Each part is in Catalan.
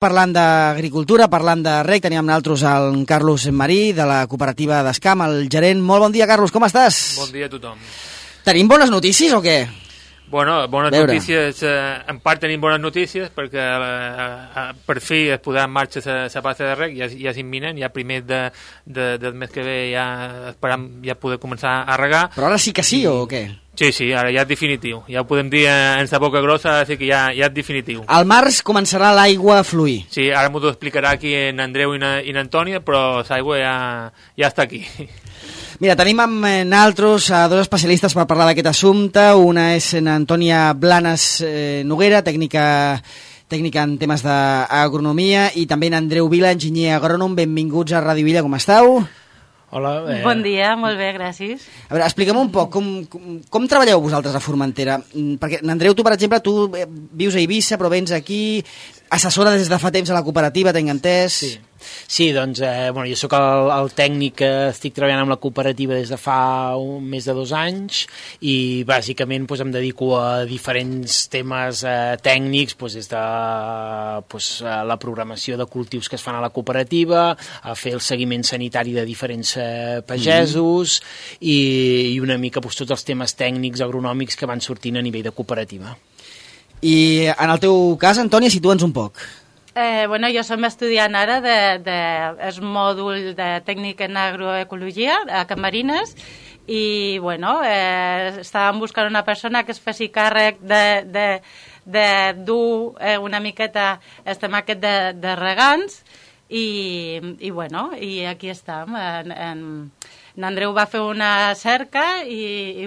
Parlant d'agricultura, parlant de rec, teníem nosaltres el Carlos Marí, de la cooperativa d'Escam, el gerent. Molt bon dia, Carlos, com estàs? Bon dia a tothom. Tenim bones notícies o què? Bueno, bones notícies, en part tenim bones notícies perquè per fi es posarà en marxa la passa de rec, ja és imminent, ja primer del mes que ve ja esperam ja poder començar a regar. Però ara sí que sí o què? Sí, ara ja és definitiu, ja ho podem dir en sa boca grossa, així que ja és definitiu. Al març començarà l'aigua a fluir. Sí, ara m'ho explicarà aquí en Andreu i n'Antònia, però l'aigua ja està aquí. Mira, tenim amb nosaltres dos especialistes per parlar d'aquest assumpte. Una és Antònia Blanes Noguera, tècnica en temes d'agronomia, i també en Andreu Vila, enginyer agrònom. Benvinguts a Ràdio Vila, com esteu? Hola. Bon dia, molt bé, gràcies. A veure, explica'm un poc, com treballeu vosaltres a Formentera? Perquè, Andreu, tu, per exemple, tu vius a Eivissa, però vens aquí, assessora des de fa temps a la cooperativa, t'he entès. Sí, doncs, jo sóc el tècnic que estic treballant amb la cooperativa des de fa més de 2 anys i bàsicament em dedico a diferents temes tècnics, des de la programació de cultius que es fan a la cooperativa, a fer el seguiment sanitari de diferents pagesos i una mica tots els temes tècnics agronòmics que van sortint a nivell de cooperativa. I en el teu cas, Antònia, situa'ns un poc. Jo som estudiant ara del mòdul de tècnic en agroecologia a Can Marines i estàvem buscant una persona que es faci càrrec de dur una miqueta el tema aquest de regants i aquí estem. En Andreu va fer una cerca i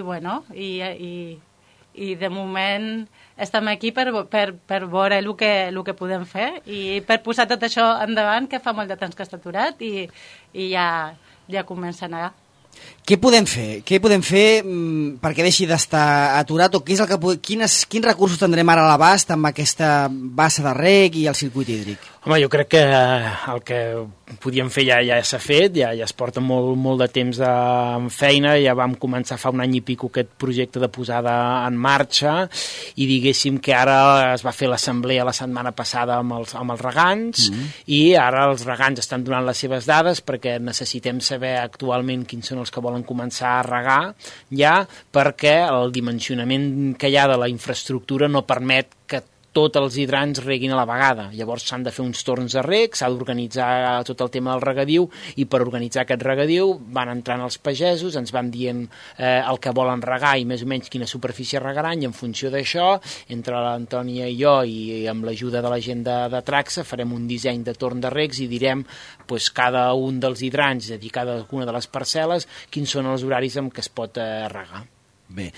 de moment estem aquí per veure el que podem fer i per posar tot això endavant, que fa molt de temps que està aturat i ja comença a anar. Què podem fer? Què podem fer perquè deixi d'estar aturat o quins recursos tindrem ara a l'abast amb aquesta bassa de rec i el circuit hídric? Home, jo crec que el que podíem fer ja s'ha fet, ja es porta molt de temps en feina, ja vam començar fa un any i pico aquest projecte de posada en marxa i diguéssim que ara es va fer l'assemblea la setmana passada amb els regants i ara els regants estan donant les seves dades perquè necessitem saber actualment quins són els que volen començar a regar ja perquè el dimensionament que hi ha de la infraestructura no permet que tots els hidrants reguin a la vegada. Llavors s'han de fer uns torns de reg, s'ha d'organitzar tot el tema del regadiu i per organitzar aquest regadiu van entrant els pagesos, ens van dient el que volen regar i més o menys quina superfície regaran i en funció d'això, entre l'Antònia i jo i amb l'ajuda de la gent de Traxa farem un disseny de torn de regs i direm cada un dels hidrants, és a dir, cada una de les parcel·les, quins són els horaris en què es pot regar. Bé,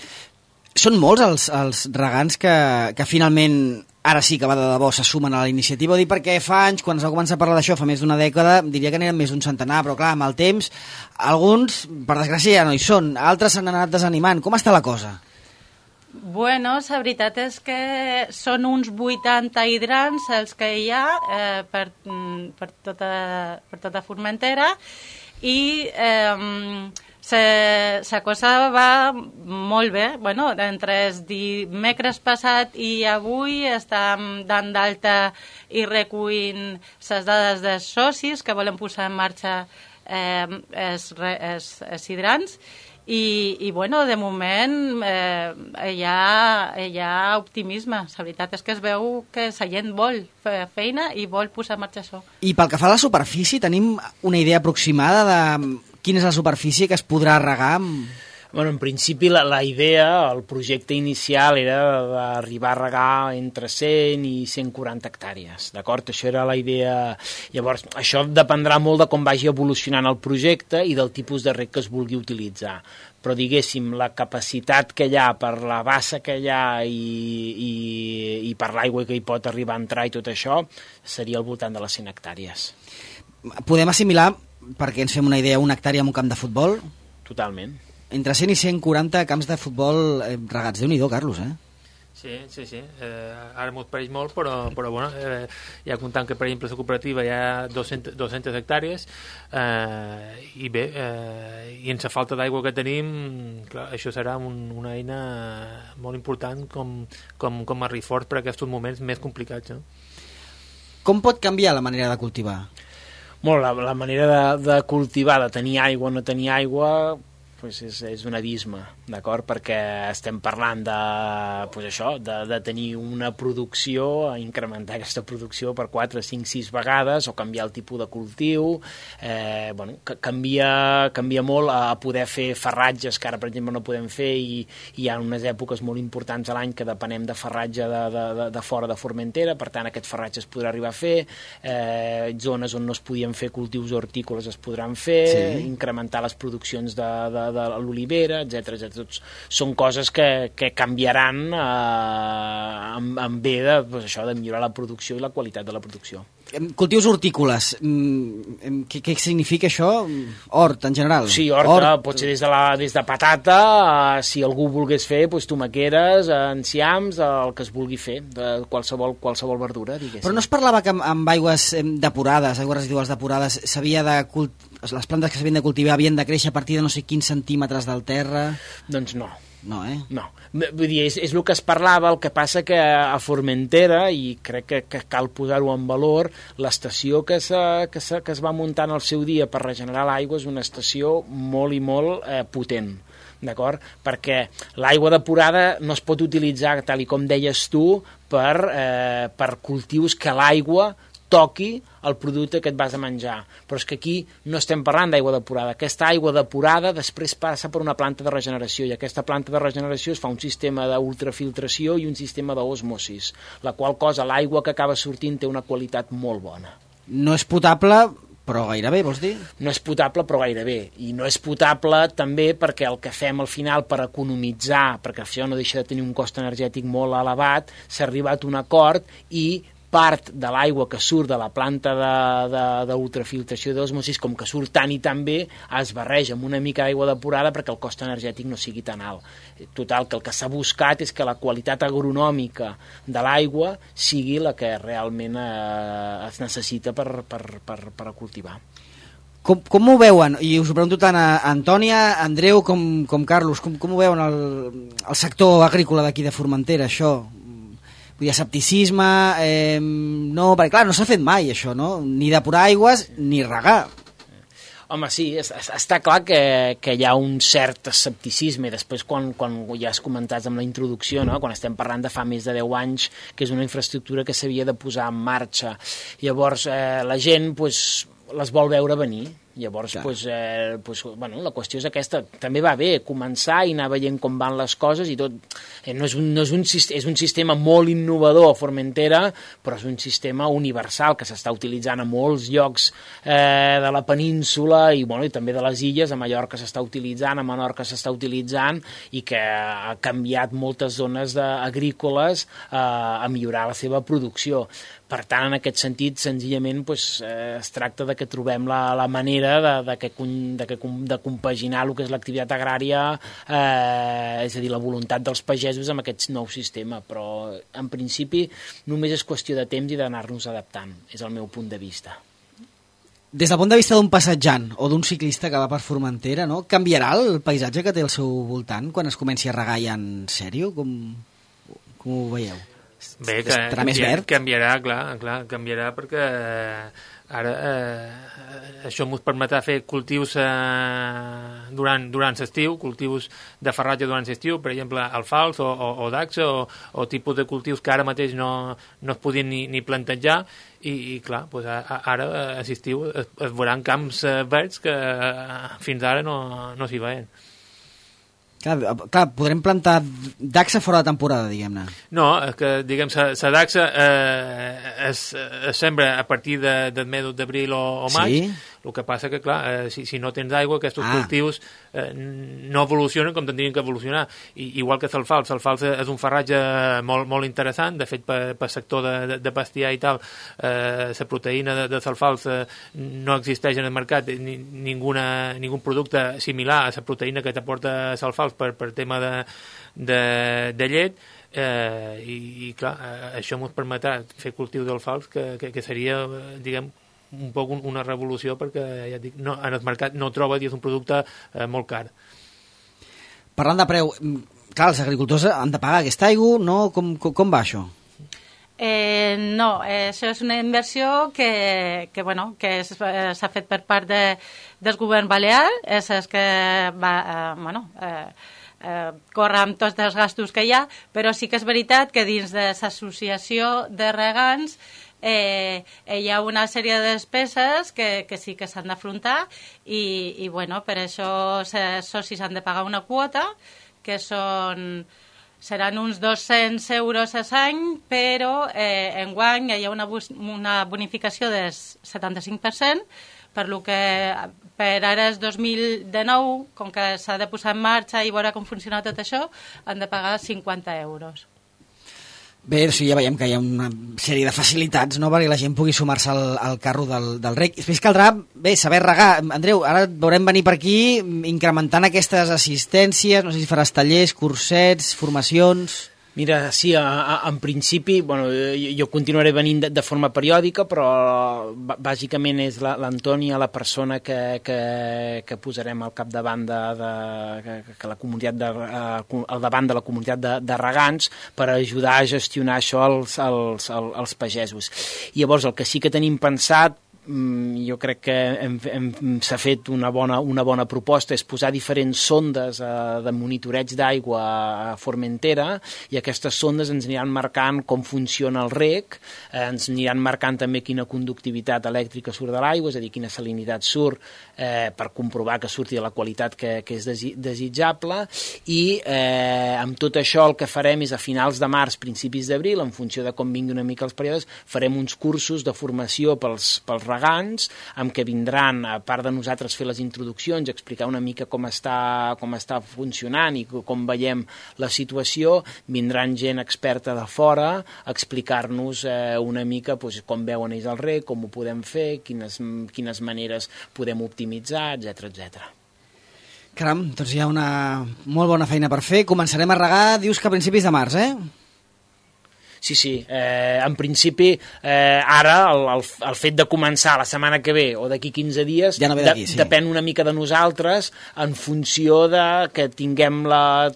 són molts els regants que finalment, ara sí que va de debò, se sumen a la iniciativa. Ho dic perquè fa anys, quan es va començar a parlar d'això, fa més d'una dècada, diria que n'eren més d'un centenar, però clar, amb el temps, alguns, per desgràcia, ja no hi són, altres s'han anat desanimant. Com està la cosa? La veritat és que són uns 80 hidrants els que hi ha per tota Formentera i la cosa va molt bé. Entre el dimecres passat i avui estem dant d'alta i recollint les dades dels socis que volen posar en marxa els hidrants i de moment hi ha optimisme. La veritat és que es veu que la gent vol fer feina i vol posar en marxa això. I pel que fa a la superfície, tenim una idea aproximada de quina és la superfície que es podrà regar? En principi la idea, el projecte inicial era d'arribar a regar entre 100 i 140 hectàrees, d'acord? Això era la idea. Llavors, això dependrà molt de com vagi evolucionant el projecte i del tipus de reg que es vulgui utilitzar. Però, diguéssim, la capacitat que hi ha per la bassa que hi ha i per l'aigua que hi pot arribar a entrar i tot això, seria al voltant de les 100 hectàrees. Podem assimilar, perquè ens fem una idea, una hectàrea en un camp de futbol? Totalment. Entre 100 i 140 camps de futbol regats. Déu-n'hi-do, Carlos, Sí. Ara m'ho pareix molt, però ja comptant que, per exemple, la cooperativa hi ha 200 hectàrees i bé, i en la falta d'aigua que tenim, clar, això serà una eina molt important com a reforç per a aquests moments més complicats. Com pot canviar la manera de cultivar? Molt, la manera de cultivar, de tenir aigua o no tenir aigua, pues és un abisme, d'acord? Perquè estem parlant de, pues això, de tenir una producció, incrementar aquesta producció per 4, 5, 6 vegades, o canviar el tipus de cultiu, bueno, canvia molt a poder fer farratges, que ara, per exemple, no podem fer, i hi ha unes èpoques molt importants a l'any que depenem de farratge de fora de Formentera, per tant, aquest farratge es podrà arribar a fer, zones on no es podien fer cultius hortícoles es podran fer, sí. Incrementar les produccions de l'olivera, etc. Tots són coses que canviaran en bé de, pues això, de millorar la producció i la qualitat de la producció. Cultius hortícoles, què significa això? Hort, en general? Sí, hort. Pot ser des de patata, si algú volgués fer, doncs, tomaqueres, enciams, el que es vulgui fer, de qualsevol verdura, diguéssim. Però no es parlava que amb aigües depurades, aigües residuals depurades, les plantes que s'havien de cultivar havien de créixer a partir de no sé quins centímetres del terra? Doncs no. No, No. Vull dir, és el que es parlava, el que passa que a Formentera, i crec que cal posar-ho en valor, l'estació que es va muntar en el seu dia per regenerar l'aigua és una estació molt i molt potent, d'acord? Perquè l'aigua depurada no es pot utilitzar, tal i com deies tu, per cultius que l'aigua toqui el producte que et vas a menjar. Però és que aquí no estem parlant d'aigua depurada. Aquesta aigua depurada després passa per una planta de regeneració, i aquesta planta de regeneració es fa un sistema d'ultrafiltració i un sistema d'osmosis, la qual cosa l'aigua que acaba sortint té una qualitat molt bona. No és potable, però gairebé, vols dir? No és potable, però gairebé. I no és potable també perquè el que fem al final per economitzar, perquè això no deixa de tenir un cost energètic molt elevat, s'ha arribat a un acord i part de l'aigua que surt de la planta d'ultrafiltració d'osmosis, com que surt tant i tan bé, es barreja amb una mica d'aigua depurada perquè el cost energètic no sigui tan alt. Total, que el que s'ha buscat és que la qualitat agronòmica de l'aigua sigui la que realment es necessita per cultivar. Com ho veuen? I us ho pregunto tant a Antònia, Andreu com Carlos. Com ho veuen el sector agrícola d'aquí de Formentera, això? Vull dir, escepticisme, no, perquè clar, no s'ha fet mai això, no? Ni depurar aigües ni regar. Home, sí, està clar que hi ha un cert escepticisme, i després quan ja has comentat amb la introducció, no? Quan estem parlant de fa més de 10 anys, que és una infraestructura que s'havia de posar en marxa. Llavors, la gent les vol veure venir. Llavors, bueno, la qüestió és aquesta. També va bé començar i anar veient com van les coses i tot. És un sistema molt innovador a Formentera, però és un sistema universal que s'està utilitzant a molts llocs de la península i també de les illes. A Mallorca s'està utilitzant, a Menorca s'està utilitzant, i que ha canviat moltes zones agrícoles a millorar la seva producció. Per tant, en aquest sentit, senzillament es tracta de que trobem la manera de compaginar el que és l'activitat agrària, és a dir, la voluntat dels pagesos amb aquest nou sistema, però en principi només és qüestió de temps i d'anar-nos adaptant, és el meu punt de vista. Des del punt de vista d'un passatjant o d'un ciclista que va per Formentera, no? Canviarà el paisatge que té al seu voltant quan es comenci a regar ja en sèrio? Com ho veieu? Bé, canviarà, clar, canviarà perquè ara això ens permetrà fer cultius durant l'estiu, cultius de farratge durant l'estiu, per exemple, alfals o dacsa o tipus de cultius que ara mateix no es podien ni plantejar, i clar, ara a l'estiu es veuran camps verds que fins ara no s'hi veien. Clar, podrem plantar dacsa fora de temporada, diguem-ne. No, és que, diguem, la dacsa es sembra a partir del mes d'abril o maig. Sí? El que passa que, clar, si no tens aigua, aquests cultius no evolucionen com tindrien que evolucionar. Igual que l'alfals. L'alfals és un farratge molt, molt interessant. De fet, per sector de bestiar i tal, la proteïna de l'alfals no existeix en el mercat ningun producte similar a la proteïna que t'aporta l'alfals per tema de llet. I clar, això ens permetrà fer cultiu d'alfals que seria, diguem, un poc una revolució, perquè ja dic, en el mercat no troba i és un producte molt car. Parlant de preu, clar, els agricultors han de pagar aquesta aigua, no? Com va això? No, això és una inversió que s'ha fet per part del govern balear, és que córrer amb tots els gastos que hi ha, però sí que és veritat que dins de l'associació de regants hi ha una sèrie de despeses que sí que s'han d'afrontar i per això els socis han de pagar una quota que seran uns 200 euros a l'any, però enguany hi ha una bonificació del 75%, per lo que per ara és 2019, com que s'ha de posar en marxa i veure com funciona tot això, han de pagar 50 euros. Bé, sí, ja veiem que hi ha una sèrie de facilitats, no?, perquè la gent pugui sumar-se al carro del rec. Després caldrà, saber regar. Andreu, ara et veurem venir per aquí incrementant aquestes assistències, no sé si faràs tallers, cursets, formacions... Mira, sí, en principi, jo continuaré venint de forma periòdica, però bàsicament és l'Antònia la persona que posarem al capdavant que la comunitat al davant de la comunitat de regants per ajudar a gestionar això als pagesos. I llavors el que sí que tenim pensat, jo crec que s'ha fet una bona proposta, és posar diferents sondes de monitoreig d'aigua a Formentera, i aquestes sondes ens aniran marcant com funciona el rec, ens aniran marcant també quina conductivitat elèctrica surt de l'aigua, és a dir, quina salinitat surt, per comprovar que surti de la qualitat que és desitjable, i amb tot això el que farem és a finals de març, principis d'abril, en funció de com vingui una mica els períodes, farem uns cursos de formació pels regants, amb què vindran, a part de nosaltres fer les introduccions, explicar una mica com està funcionant i com veiem la situació, vindran gent experta de fora a explicar-nos una mica com veuen ells el rec, com ho podem fer, quines maneres podem optimitzar, etc. Caram, doncs hi ha una molt bona feina per fer. Començarem a regar, dius que a principis de març, Sí, en principi ara el fet de començar la setmana que ve o d'aquí 15 dies ja no depèn una mica de nosaltres en funció de que tinguem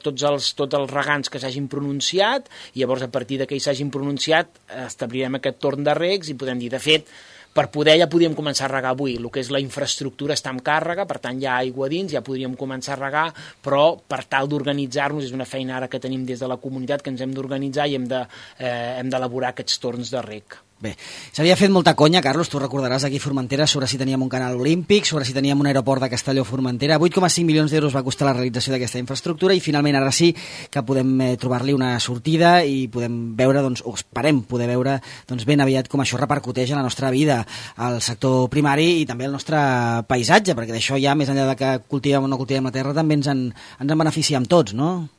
tots els regants que s'hagin pronunciat, i llavors a partir que s'hagin pronunciat establirem aquest torn de regs i podem dir, de fet, per poder ja podríem començar a regar avui. El que és la infraestructura està en càrrega, per tant hi ha aigua dins, ja podríem començar a regar, però per tal d'organitzar-nos, és una feina ara que tenim des de la comunitat, que ens hem d'organitzar i hem d'elaborar aquests torns de reg. Bé, s'havia fet molta conya, Carlos, tu recordaràs aquí a Formentera, sobre si teníem un canal olímpic, sobre si teníem un aeroport de Castelló-Formentera. 8,5 milions d'euros va costar la realització d'aquesta infraestructura i finalment ara sí que podem trobar-li una sortida i podem veure, o esperem poder veure ben aviat com això repercuteix en la nostra vida, al sector primari i també al nostre paisatge, perquè d'això ja, més enllà de que cultivem o no cultivem la terra, també ens en beneficiem tots, no?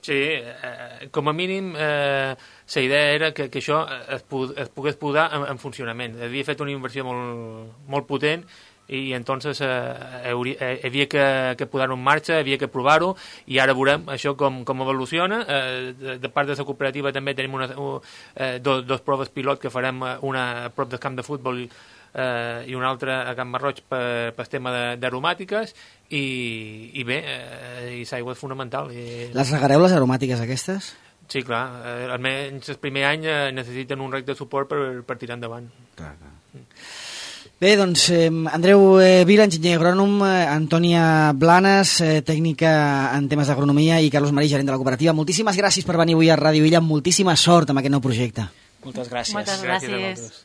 Sí, com a mínim la idea era que això es pogués posar en funcionament. Havia fet una inversió molt potent i entonces havia que posar-ho en marxa, havia que provar-ho, i ara veurem això com evoluciona. De part de la cooperativa també tenim dos proves pilot que farem, una a prop del camp de futbol i una altra a Can Marroig per tema d'aromàtiques, i bé, i l'aigua és fonamental. Les regareu, les aromàtiques aquestes? Sí, clar, almenys el primer any necessiten un rec de suport per tirar endavant. Clar. Bé, doncs, Andreu Vila, enginyer agrònom, Antònia Blanes, tècnica en temes d'agronomia, i Carlos Marí, gerent de la cooperativa. Moltíssimes gràcies per venir avui a Ràdio Illa, moltíssima sort amb aquest nou projecte. Moltes gràcies. Moltes gràcies.